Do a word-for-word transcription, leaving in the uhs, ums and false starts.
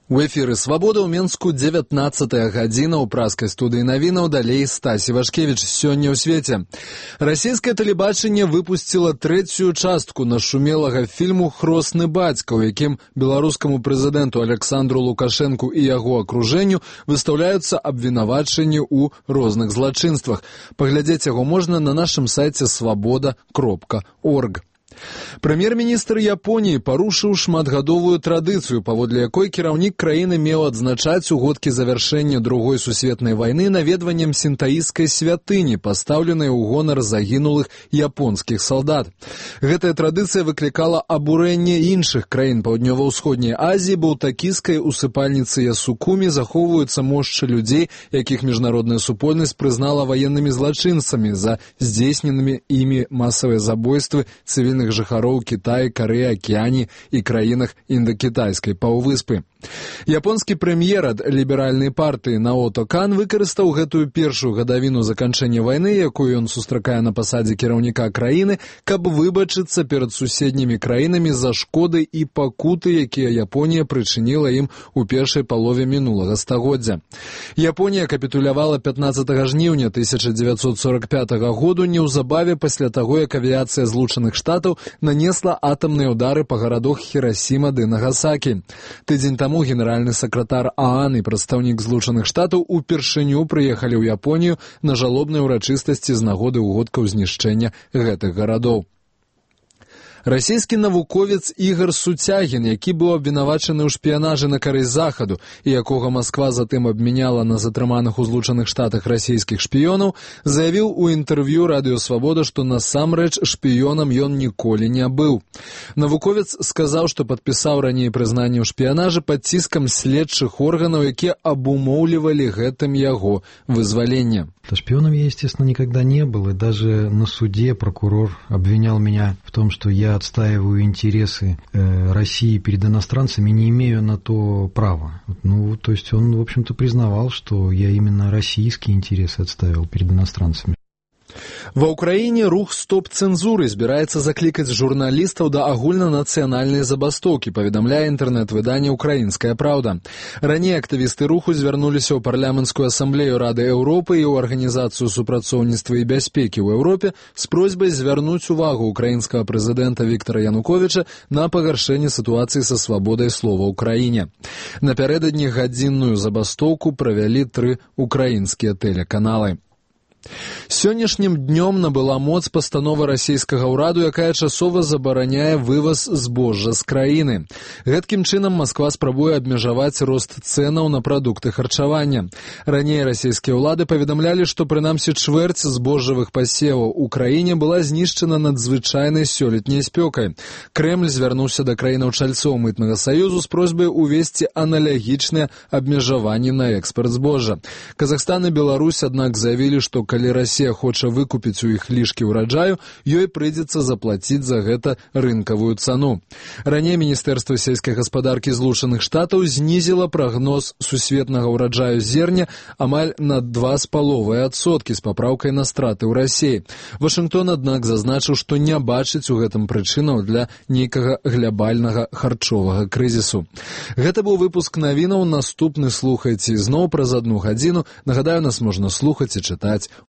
У эфіры «Свабода» ў Менску дзевятнаццатая гадзіна ў праскай студыі навінаў, далей Стасі Вашкевіч. Сёння ў свеце. Расійскае тэлебачанне выпусціла трэцюю частку нашумелага фільму «Хросны бацька», у якім беларускаму прэзідэнту Александру Лукашэнку і яго акружэнню выстаўляюцца абвінавачанні ў розных злачынствах. Паглядзець яго можна на нашым сайце свабода кропка орг. Прэм'ер-міністр Японіі парушыў шматгадовую традыцыю, паводле якой кіраўнік краіны меў адзначаць угодкі завяршэння другой сусветнай вайны наведваннем сінтаісцкай святыні, пастаўленай у гонар загінулых японскіх салдат. Гэтая традыцыя выклікала абурэнне іншых краін Паўднёва-ўсходняй Азіі, бо ў такійскай усыпальніцы Ясукумі захоўваюцца мошчы людзей, якіх міжнародная супольнасць прызнала ваеннымі злачынцамі за здзейсненымі імі масавыя забойствы цывільных жыхароў Кітаі, Карэі, Акіяні і краінах індакітайскай паўвыспы. Японскі прэм'ер ад ліберальнай партыі Наото Кан выкарыстаў гэтую першую гадавіну заканчэння вайны, якую ён сустракае на пасадзе кіраўніка краіны, каб выбачыцца перад суседнімі краінамі за шкоды і пакуты, якія Японія прычыніла ім у першай палове мінулага стагоддзя. Японія капітулявала пятнаццатага жніўня тысяча дзевяцьсот сорок пятага году, неўзабаве пасля таго, як авіяцыя Злучаных Штатаў нанесла атамныя ўдары па гарадах Хірасіма ды Нагасакі. Тыдзень таму генеральны сакратар ААН і прадстаўнік Злучаных Штатаў упершыню прыехалі ў Японію на жалобныя ўрачыстасці з нагоды ўгодкаў знішчэння гэтых гарадоў. Расійскі навуковец Ігор Суцягін, які быў абвінавачаны ў шпіянажы на карысць Захаду і якога Масква затым абмяняла на затрыманых у Злучаных Штатах расійскіх шпіёнаў, заявіў у інтэрв'ю Радыё Свабода, што насамрэч шпіёнам ён ніколі не быў. Навуковец сказаў, што падпісаў раней прызнанне ў шпіянажы пад ціскам следчых органаў, якія абумоўлівалі гэтым яго вызваленне. Шпионом я, естественно, никогда не был, и даже на суде прокурор обвинял меня в том, что я отстаиваю интересы э, России перед иностранцами, не имею на то права. Ну, то есть он, в общем-то, признавал, что я именно российские интересы отстаивал перед иностранцами. Ва ўкраіне рух стоп-цэнзуры збіраецца заклікаць журналістаў да агульнанацыянальнай забастоўкі, паведамляе інтэрнэт-выданне «Украінская праўда». Раней актывісты руху звярнуліся ў парламенцкую асамблею Рады Еўропы і ў Арганізацыю супрацоўніцтва і бяспекі ў Еўропе з просьбай звярнуць увагу украінскага прэзідэнта Віктара Януковіча на пагаршэнне сітуацыі са свабодай слова ў краіне. Напярэдадні гадзінную забастоўку правялі тры украінскія тэлеканалы. Сённяшнім днём набыла моц пастанова расійскага ўраду, якая часова забараняе вываз збожжа з краіны. Гэткім чынам Масква спрабуе абмежаваць рост цэнаў на прадукты харчавання. Раней расійскія ўлады паведамлялі, што прынамсі чвэрць збожжавых пасеваў у краіне была знішчана надзвычайнай сёлетняй спёкай. Крэмль звярнуўся да краінаў-чальцоў мытнага саюзу з просьбай увесці аналагічныя абмежаванні на экспарт збожжа. Казахстан і Беларусь, аднак, заявілі, што калі Расія хоча выкупіць у іх лішкі ўраджаю, ёй прыйдзецца заплаціць за гэта рынкавую цану. Раней Міністэрства сельскай гаспадаркі Злучаных Штатаў знізіла прагноз сусветнага ўраджаю зерня амаль на два з паловай адсоткі з папраўкай на страты ў Расіі. Вашынгтон, аднак, зазначыў, што не бачыць у гэтым прычынаў для нейкага глябальнага харчовага крызісу. Гэта быў выпуск навінаў. Наступны слухайце зноў праз адну гадзіну. Нагадаю, нас можна слухаць і чытаць